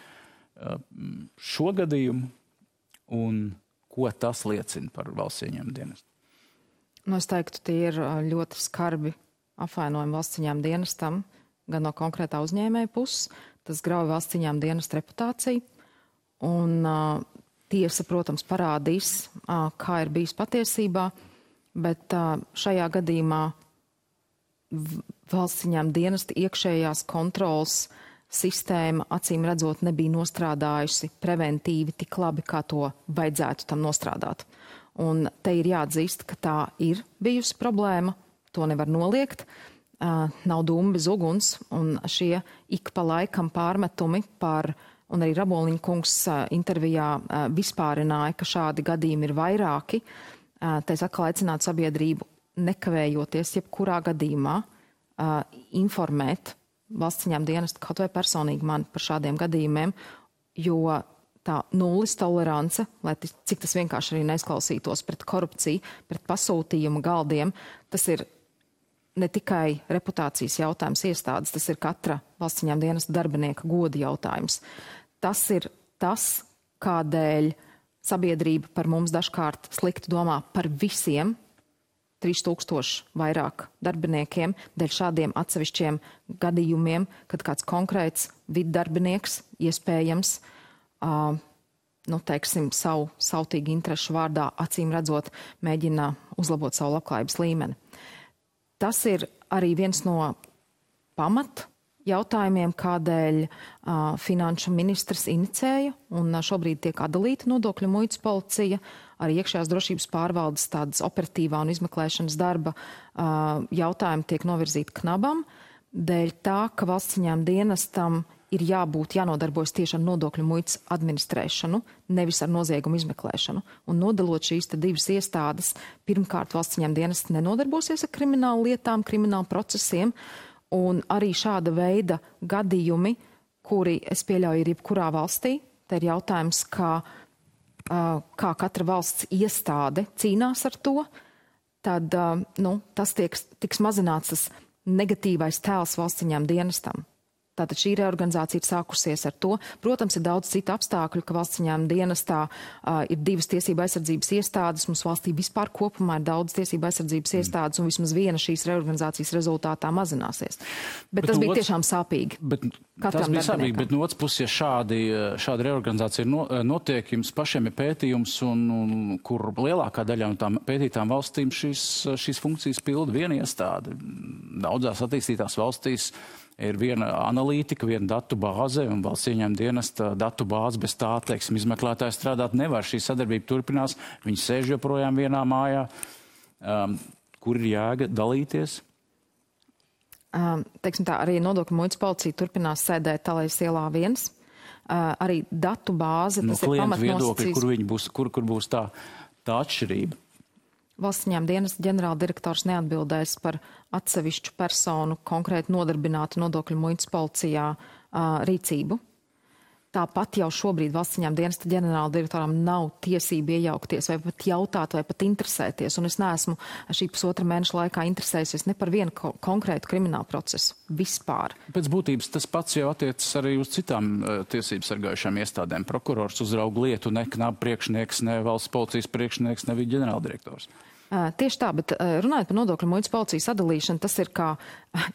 šo gadījumu un ko tas liecina par valsts ieņēmuma dienestu? Es teiktu, tie ir ļoti skarbi apvainojumi valsts ieņēmuma dienestam, gan no konkrētā uzņēmēja puses. Tas grauj valsts ieņēmuma dienesta reputāciju. Un tiesa, protams, parādīs, kā ir bijis patiesībā, bet šajā gadījumā valsts ieņēmuma dienesta iekšējās kontrolas sistēma, acīm redzot, nebija nostrādājusi preventīvi tik labi, kā to vajadzētu tam nostrādāt. Un te ir jāatzīst, ka tā ir bijusi problēma, to nevar noliegt, nav dūma bez uguns, un šie ik pa laikam pārmetumi un arī Ramoliņa kungs intervijā vispārināja, ka šādi gadījumi ir vairāki. Te es atkal aicinātu sabiedrību nekavējoties jebkurā gadījumā informēt valsts ieņēmuma dienestu kaut vai personīgi man par šādiem gadījumiem, jo tā nulles tolerance, lai cik tas vienkārši arī neizklausītos pret korupciju, pret pasūtījumu galdiem, tas ir ne tikai reputācijas jautājums iestādes, tas ir katra valsts ieņēmuma dienesta darbinieka goda jautājums. Tas ir tas, kādēļ sabiedrība par mums dažkārt slikti domā par visiem 3000 vairāk darbiniekiem, dēļ šādiem atsevišķiem gadījumiem, kad kāds konkrēts viddarbinieks iespējams teiksim, savu sautīgu interešu vārdā, acīm redzot, mēģina uzlabot savu labklājības līmeni. Tas ir arī viens no pamat jautājumiem, kādēļ finanšu ministrs inicēja un šobrīd tiek atdalīta nodokļu muitas policija, arī iekšējās drošības pārvaldes tādas operatīvā un izmeklēšanas darba jautājumi tiek novirzīti knabam, dēļ tā, ka valsts ieņēmuma dienestam ir jānodarbojas tieši ar nodokļu muitas administrēšanu, nevis ar noziegumu izmeklēšanu. Un nodalot šīs divas iestādes, pirmkārt valsts ieņēmuma dienests nenodarbosies ar kriminālu lietām, kriminālu procesiem, un arī šāda veida gadījumi, kuri, es pieļauju, ir jebkurā valstī, te ir jautājums, kā katra valsts iestāde cīnās ar to, tad tas tiks mazināts tas negatīvais tēls valsts ieņēmuma dienestam. Tātad šī reorganizācija ir sākusies ar to. Protams, ir daudz citu apstākļu, ka valsts ieņēmuma dienestā ir divas tiesība aizsardzības iestādes. Mums valstī vispār kopumā ir daudz tiesība aizsardzības iestādes, un vismaz viena šīs reorganizācijas rezultātā mazināsies. Bet tas bija tiešām sāpīgi. Tas bija sāpīgi, bet no otras puses, ja šāda reorganizācija notiek, jums pašiem ir pētījums, un kur lielākā daļā no tām pētītām valstīm šīs funkcijas pilda viena iestāde. Daudzās attīstītās valstīs ir viena analītika, viena datu bāze, un valsts ieņēmuma dienesta datu bāze bez tā, teiksim, izmeklētāji strādāt nevar. Šī sadarbība turpinās, viņi sēž joprojām vienā mājā. Kur ir jēga dalīties? Teiksim tā, arī nodokļu muitas policija turpinās sēdēt Talējas ielā 1. Arī datu bāze, tas ir pamatnosacījums. Kur būs tā atšķirība? Valsts ieņēmuma dienesta ģenerāldirektors neatbildēs par atsevišķu personu konkrēti nodarbinātu nodokļu muitas policijā rīcību. Tāpat jau šobrīd valsts ieņēmuma dienesta ģenerāldirektoram nav tiesība iejaukties vai pat jautāt vai pat interesēties. Un es neesmu šī pusotra mēneša laikā interesējusies ne par vienu konkrētu kriminālu procesu vispār. Pēc būtības tas pats jau attiecas arī uz citām tiesības sargājušām iestādēm. Prokurors uzrauga lietu, ne knaba priekšnieks, ne valsts policijas priekšnieks, ne viņa ģenerāldirektors. Tieši tā, bet runājot par nodokļu muitas policijas sadalīšanu, tas ir kā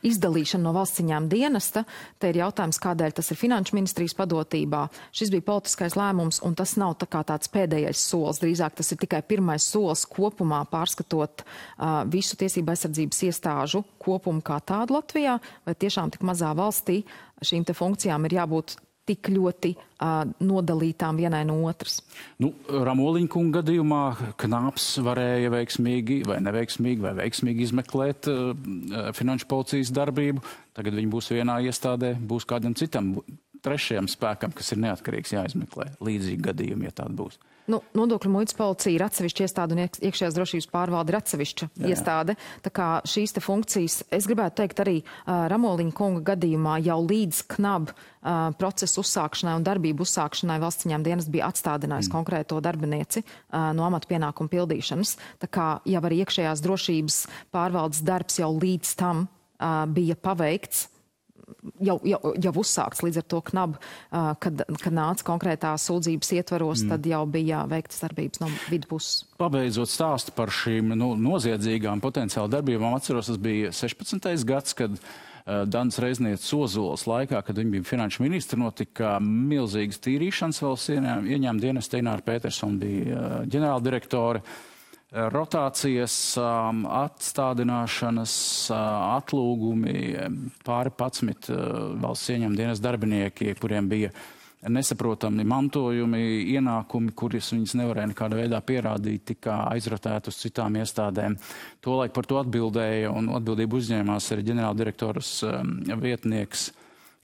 izdalīšana no valsts ieņēmuma dienesta. Te ir jautājums, kādēļ tas ir finanšu ministrijas padotībā. Šis bija politiskais lēmums, un tas nav tā kā tāds pēdējais solis. Drīzāk tas ir tikai pirmais solis kopumā pārskatot visu tiesību aizsardzības iestāžu kopumu kā tādu Latvijā, vai tiešām tik mazā valstī šīm te funkcijām ir jābūt tik ļoti nodalītām vienai no otras. Ramoliņa kunga gadījumā Knāps varēja veiksmīgi vai neveiksmīgi vai veiksmīgi izmeklēt finanšu policijas darbību. Tagad viņi būs vienā iestādē, būs kādam citam trešajam spēkam, kas ir neatkarīgs, jāizmeklē. Līdzīgi gadījumi, ja tāda būs. Nodokļu muitas policija ir atsevišķa iestāde un iekšējās drošības pārvalde ir atsevišķa iestāde. Tā kā šīs te funkcijas, es gribētu teikt arī Ramoliņa kunga gadījumā jau līdz knab procesu uzsākšanai un darbību uzsākšanai valsts ieņēmuma dienests bija atstādinājis konkrēto darbinieci no amata pienākumu pildīšanas. Tā kā jau arī iekšējās drošības pārvaldes darbs jau līdz tam bija paveikts, jau uzsākts līdz ar to knab, kad nāca konkrētā sūdzības ietvaros, tad jau bija veiktas darbības no vidu puses. Pabeidzot stāstu par šīm noziedzīgām potenciāli darbībām, atceros, tas bija 16. gads, kad Danas Reiznieces Ozolas laikā, kad viņa bija finanšu ministra, notika milzīgas tīrīšanas valsts ieņēmuma dienesta. Ināra Petersona bija ģenerāldirektore. Rotācijas, atstādināšanas, atlūgumi, pāri 11 valsts ieņēmuma dienesta darbinieki, kuriem bija nesaprotami mantojumi, ienākumi, kurus viņas nevarēja nekādā veidā pierādīt, tika aizrotēti uz citām iestādēm. Tolaik par to atbildēja un atbildību uzņēmās arī ģenerāldirektoras vietnieks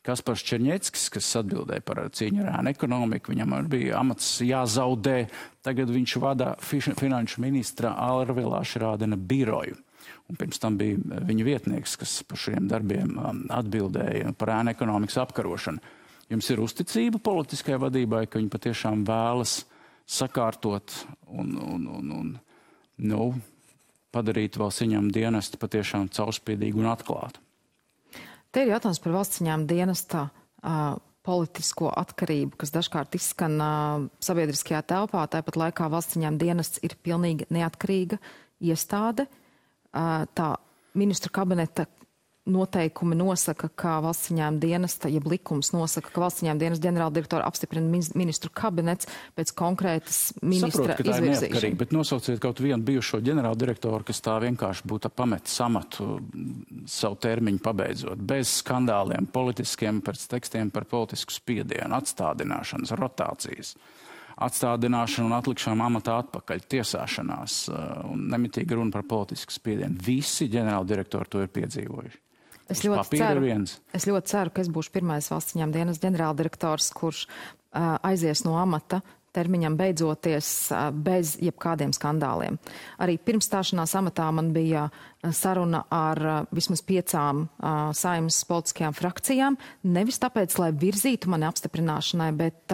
Kaspars Černieckis, kas atbildēja par cīņu ar ēnu ekonomiku, viņam bija amats jāzaudē. Tagad viņš vada finanšu ministra Alrvila Ašrādena biroju. Un pirms tam bija viņa vietnieks, kas par šiem darbiem atbildēja par ēnu ekonomikas apkarošanu. Jums ir uzticība politiskajai vadībai, ka viņi patiešām vēlas sakārtot un padarīt valsts ieņēmuma dienestu patiešām caurspīdīgu un atklātu? Te ir jautājums par valsts ieņēmuma dienesta politisko atkarību, kas dažkārt izskan sabiedriskajā telpā. Tāpat laikā valsts ieņēmuma dienests ir pilnīgi neatkarīga iestāde. Tā ministru kabineta noteikumi nosaka, ka valsts ieņēmuma dienesta, jeb likums nosaka, ka valsts ieņēmuma dienesta ģenerāldirektora apstiprina ministru kabinets pēc konkrētas ministra izvirzīšanas. Saprotu, ka tā ir neatkarīga, bet nosauciet kaut vienu bijušo ģenerāldirektoru, kas tā vienkārši būtu pametis amatu savu termiņu pabeidzot, bez skandāliem, politiskiem pēc tekstiem par politisku spiedienu, atstādināšanas, rotācijas, atstādināšanu un atlikšanu amatā atpakaļ, tiesāšanās un nemitīgi runa par politisku spiedienu. Visi ģenerāldirektori to ir piedzīvojuši. Es ļoti ceru, ka es būšu pirmais valsts ieņēmuma dienas ģenerāldirektors, kurš aizies no amata termiņam beidzoties bez jebkādiem skandāliem. Arī pirms stāšanās amatā man bija saruna ar vismaz 5 Saeimas politiskajām frakcijām. Nevis tāpēc, lai virzītu mani apstiprināšanai, bet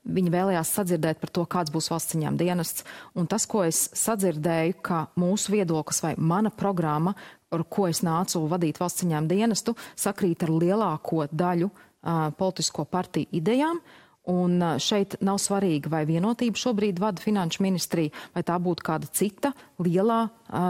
viņi vēlējās sadzirdēt par to, kāds būs valsts ieņēmuma dienests. Un tas, ko es sadzirdēju, ka mūsu viedoklis vai mana programma, ar ko es nācu vadīt valsts ieņēmuma dienestu, sakrīt ar lielāko daļu politisko partiju idejām. Un šeit nav svarīgi, vai vienotība šobrīd vada finanšu ministriju, vai tā būtu kāda cita lielā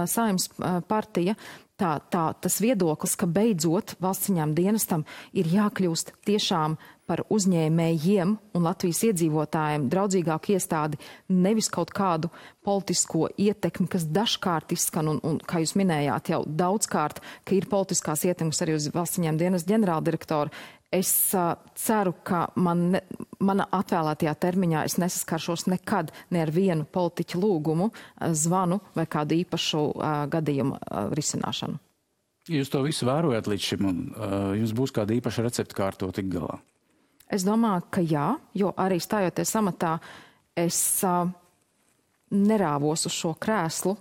Saeimas partija. Tas viedoklis, ka beidzot valsts ieņēmuma dienestam ir jākļūst tiešām par uzņēmējiem un Latvijas iedzīvotājiem draudzīgāku iestādi, nevis kaut kādu politisko ietekmi, kas dažkārt izskan, un kā jūs minējāt jau daudzkārt, ka ir politiskās ietekmes arī uz valsts ieņēmuma dienesta ģenerāldirektoru. Es ceru, ka mana atvēlētajā termiņā es nesaskaršos nekad ne ar vienu politiķu lūgumu, zvanu vai kādu īpašu gadījumu risināšanu. Jūs to visu vērojat līdz šim, un jums būs kāda īpaša recepte, kā ar to tik galā? Es domāju, ka jā, jo arī stājoties amatā, es nerāvos uz šo krēslu,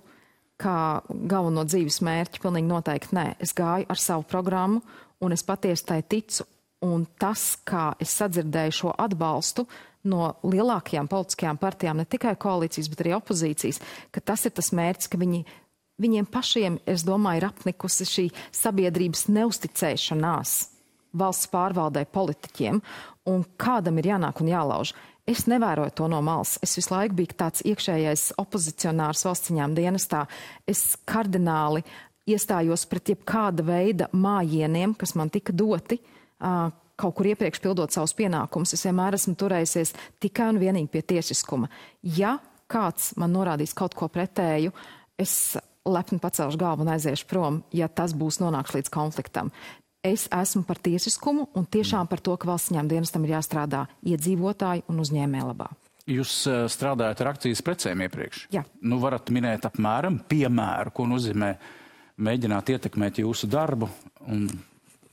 kā galveno dzīves mērķi, pilnīgi noteikti nē. Es gāju ar savu programmu, un es patiesi tai ticu. Un tas, kā es sadzirdēju šo atbalstu no lielākajām politiskajām partijām, ne tikai koalīcijas, bet arī opozīcijas, ka tas ir tas mērķis, ka viņiem pašiem, es domāju, ir apnikusi šī sabiedrības neusticēšanās valsts pārvaldē politiķiem, un kādam ir jānāk un jālauž. Es nevēroju to no malas. Es visu laiku biju tāds iekšējais opozicionārs valsts ieņēmuma dienestā. Es kardināli iestājos pret jebkāda veida mājieniem, kas man tika doti, kaut kur iepriekš pildot savus pienākumus. Es vienmēr esmu turējusies tikai un vienīgi pie tiesiskuma. Ja kāds man norādīs kaut ko pretēju, es lepni pacelšu galvu un aiziešu prom, ja tas būs nonāks līdz konfliktam. Es esmu par tiesiskumu un tiešām par to, ka valsts ieņēmuma dienestam ir jāstrādā iedzīvotāju un uzņēmēju labā. Jūs strādājat ar akcijas precēm iepriekš? Jā. Nu, varat minēt apmēram piemēru, ko nozīmē mēģināt ietekmēt jūsu darbu un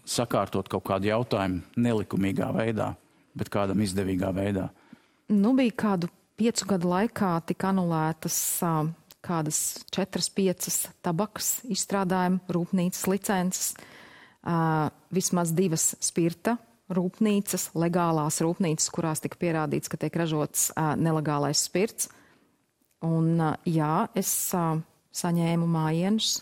sakārtot kaut kādu jautājumu nelikumīgā veidā, bet kādam izdevīgā veidā? Nu, bija kādu 5 gadu laikā tika anulētas kādas 4-5 tabakas izstrādājuma rūpnīcas licences, vismaz 2 spirta rūpnīcas, legālās rūpnīcas, kurās tika pierādīts, ka tiek ražots nelegālais spirts. Un jā, es saņēmu mājienus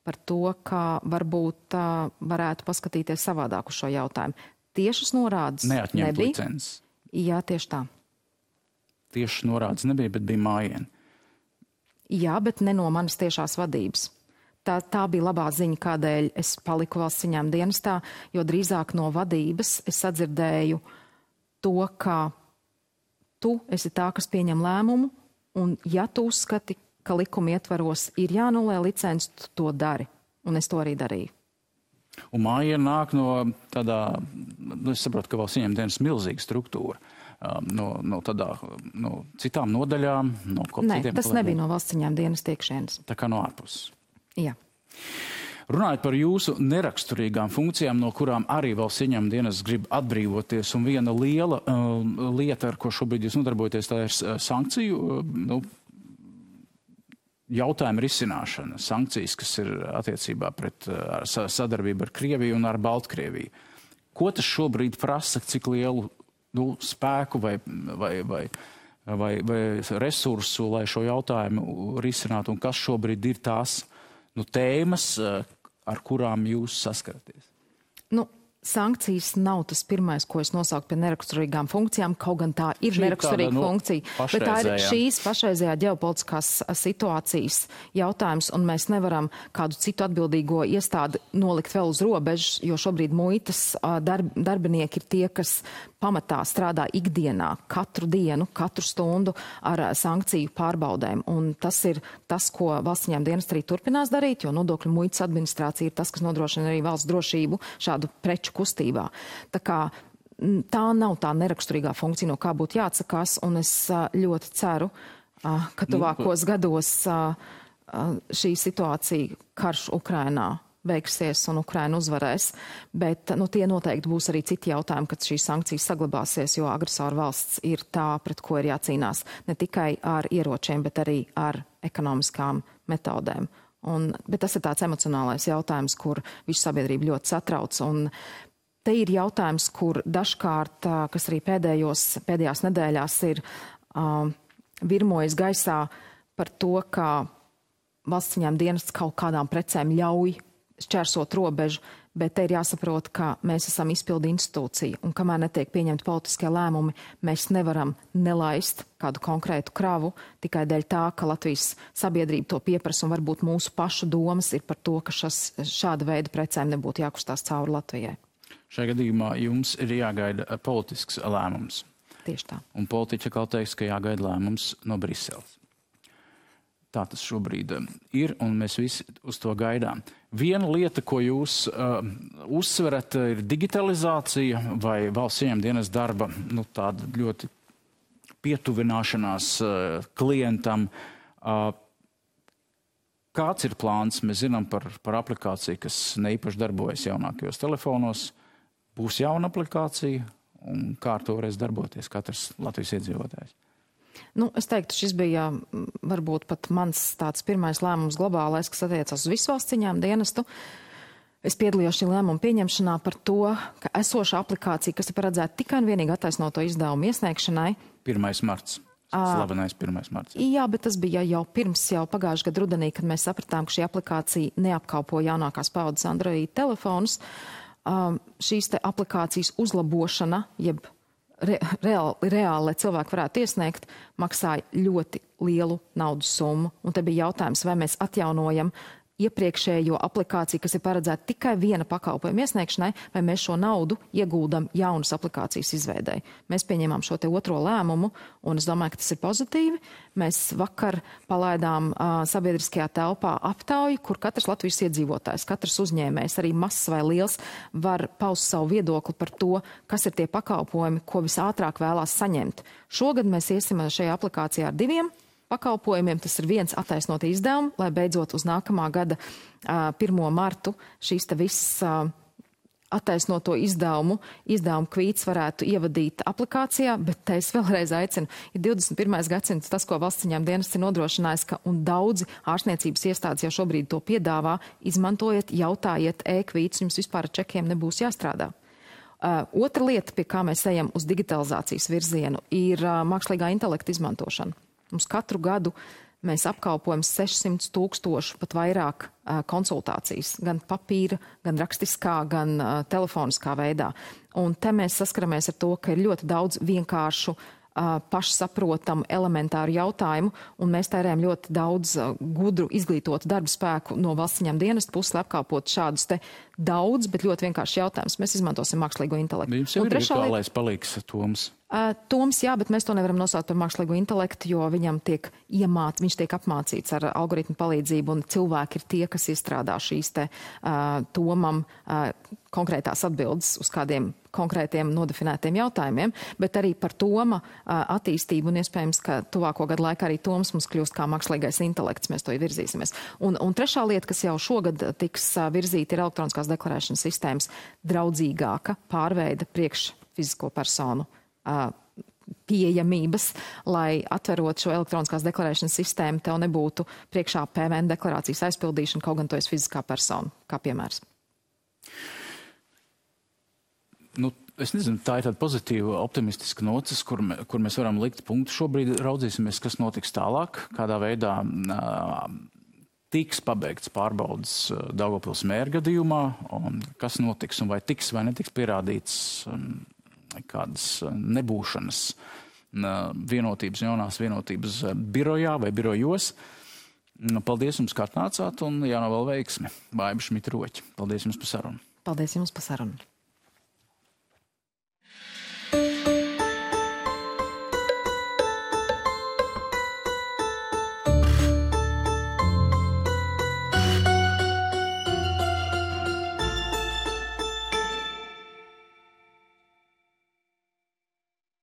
par to, ka varbūt varētu paskatīties savādāk uz šo jautājumu. Tiešas norādes neatņemt nebija. licences. Jā, tieši tā. Tiešas norādes nebija, bet bija mājieni. Jā, bet ne no manas tiešās vadības. Tā bija labā ziņa, kādēļ es paliku valsts ieņēmuma dienestā, jo drīzāk no vadības es sadzirdēju to, ka tu esi tā, kas pieņem lēmumu, un ja tu uzskati, ka likuma ietvaros ir jānulē licenci, tu to dari. Un es to arī darīju. Un mājiena nāk no tādā, es saprotu, ka valsts ieņēmuma dienas milzīga struktūra. No citām nodaļām, no citiem. Nē, tas nebija no valsts ieņēmuma dienas iekšienes. Tā kā no ārpuses. Jā. Runājot par jūsu neraksturīgām funkcijām, no kurām arī valsts ieņēmuma dienests grib atbrīvoties, un viena liela lieta, ar ko šobrīd jūs nodarbojaties, tā ir sankciju jautājumu risināšana. Sankcijas, kas ir attiecībā pret sadarbību ar Krieviju un ar Baltkrieviju. Ko tas šobrīd prasa, cik lielu spēku vai resursu, lai šo jautājumu risinātu, un kas šobrīd ir tās tēmas, ar kurām jūs saskaraties? Sankcijas nav tas pirmais, ko es nosauku pie neraksturīgām funkcijām, kaut gan tā ir neraksturīga funkcija. Bet tā ir šīs pašreizējā ģeopolitiskās situācijas jautājums, un mēs nevaram kādu citu atbildīgo iestādi nolikt vēl uz robežas, jo šobrīd muitas darbinieki ir tie, kas pamatā strādā ikdienā, katru dienu, katru stundu ar sankciju pārbaudēm. Un tas ir tas, ko valsts ieņēmuma dienests arī turpinās darīt, jo nodokļu muitas administrācija ir tas, kas nodrošina arī valsts drošību šādu preču kustībā. Tā kā tā nav tā neraksturīgā funkcija, no kā būtu jāatsakās, un es ļoti ceru, ka tuvākos gados šī situācija, karš Ukrainā, beigsies un Ukraina uzvarēs, bet tie noteikti būs arī citi jautājumi, kad šīs sankcijas saglabāsies, jo agresoru valsts ir tā, pret ko ir jācīnās ne tikai ar ieročiem, bet arī ar ekonomiskām metodēm. Bet tas ir tāds emocionālais jautājums, kur visu sabiedrību ļoti satrauc, un te ir jautājums, kur dažkārt, kas arī pēdējās nedēļās ir virmojis gaisā par to, ka valsts ieņēmuma dienests kaut kādām precēm ļauj šķērsot robežu, bet te ir jāsaprot, ka mēs esam izpildu institūcija, un kamēr netiek pieņemti politiskie lēmumi, mēs nevaram nelaist kādu konkrētu kravu tikai dēļ tā, ka Latvijas sabiedrība to pieprasa, un varbūt mūsu pašu domas ir par to, ka šāda veida precēm nebūtu jākustās cauri Latvijai. Šajā gadījumā jums ir jāgaida politisks lēmums. Tieši tā. Un politiķi atkal teiks, ka jāgaida lēmums no Briseles. Tā tas šobrīd ir, un mēs visi uz to gaidām. Viena lieta, ko jūs uzsverat, ir digitalizācija vai valsts ieņēmuma dienests darba, tāda ļoti pietuvināšanās klientam. Kāds ir plāns? Mēs zinām par aplikāciju, kas neīpaši darbojas jaunākajos telefonos. Būs jauna aplikācija, un kā ar to varēs darboties katrs Latvijas iedzīvotājs? Es teiktu, šis bija varbūt pat mans tāds pirmais lēmums globālais, kas attiecas uz visu valsts ieņēmuma dienestu. Es piedalījos šī lēmuma pieņemšanā par to, ka esoša aplikācija, kas ir paredzēta tikai un vienīgi attaisnoto izdevumu iesniegšanai. 1. marts. Slavenais 1. marts. Jā, bet tas bija jau pagājušā gada rudenī, kad mēs sapratām, ka šī aplikācija neapkalpo jaunākās paudzes Android telefonus. Šīs te aplikācijas uzlabošana, jeb reāli, lai cilvēki varētu iesniegt, maksāja ļoti lielu naudas summu. Un te bija jautājums, vai mēs atjaunojam iepriekšējo aplikāciju, kas ir paredzēta tikai viena pakalpojuma iesniegšanai, vai mēs šo naudu ieguldam jaunas aplikācijas izveidei. Mēs pieņēmām šo te otro lēmumu, un es domāju, ka tas ir pozitīvi. Mēs vakar palaidām sabiedriskajā telpā aptauju, kur katrs Latvijas iedzīvotājs, katrs uzņēmējs, arī mazs vai liels, var paust savu viedokli par to, kas ir tie pakalpojumi, ko visātrāk vēlās saņemt. Šogad mēs iesim šajā aplikācijā ar 2 pakalpojumiem. Tas ir viens attaisnot izdevumu, lai beidzot uz nākamā gada 1. martu šīs te viss attaisnoto izdevumu kvīts varētu ievadīt aplikācijā, bet te es vēlreiz aicinu, ir 21. gadsimts tas, ko valsts ieņēmuma dienests ir nodrošinājis, un daudzi ārstniecības iestādes jau šobrīd to piedāvā, izmantojiet, jautājiet e-kvītus, jums vispār ar čekiem nebūs jāstrādā. Otra lieta, pie kā mēs ejam uz digitalizācijas virzienu, ir mākslīgā intelekta izmantošana. Mums katru gadu mēs apkalpojam 600 000, pat vairāk konsultācijas, gan papīra, gan rakstiskā, gan telefoniskā veidā. Un te mēs saskaramies ar to, ka ir ļoti daudz vienkāršu, pašsaprotamu, elementāru jautājumu, un mēs tērējam ļoti daudz gudru, izglītotu darba spēku no valsts ieņēmuma dienesta puses, lai apkalpotu šādus te daudz, bet ļoti vienkārši jautājumus. Mēs izmantosim mākslīgo intelektu. Jums jau ir virtuālais palīgs, Toms? Toms, jā, bet mēs to nevaram nosaukt par mākslīgo intelektu, jo viņam viņš tiek apmācīts ar algoritmu palīdzību, un cilvēki ir tie, kas izstrādā šīs te Tomam konkrētās atbildes uz kādiem konkrētiem nodefinētiem jautājumiem, bet arī par Toma attīstību, un iespējams, ka tuvāko gadu laikā arī Toms mums kļūst kā mākslīgais intelekts, mēs to virzīsimies. Un trešā lieta, kas jau šogad tiks virzīta, ir elektroniskās deklarēšanas sistēmas draudzīgāka pārveide priekš fizisko personu pieejamības, lai atverot šo elektroniskās deklarēšanas sistēmu, tev nebūtu priekšā PVN deklarācijas aizpildīšana, kaut gan tu esi fiziskā persona, kā piemērs. Es nezinu, tā ir tāda pozitīva, optimistiska nocis, kur mēs varam likt punktu. Šobrīd raudzīsimies, kas notiks tālāk, kādā veidā tiks pabeigts pārbaudas Daugavpils mēra gadījumā, un kas notiks un vai tiks vai netiks pierādīts kādas nebūšanas jaunās vienotības birojā vai birojos. Paldies jums, ka atnācāt, un jānovēl veiksmi. Baiba Šmita-Roķa. Paldies jums par sarunu. Paldies jums par sarunu.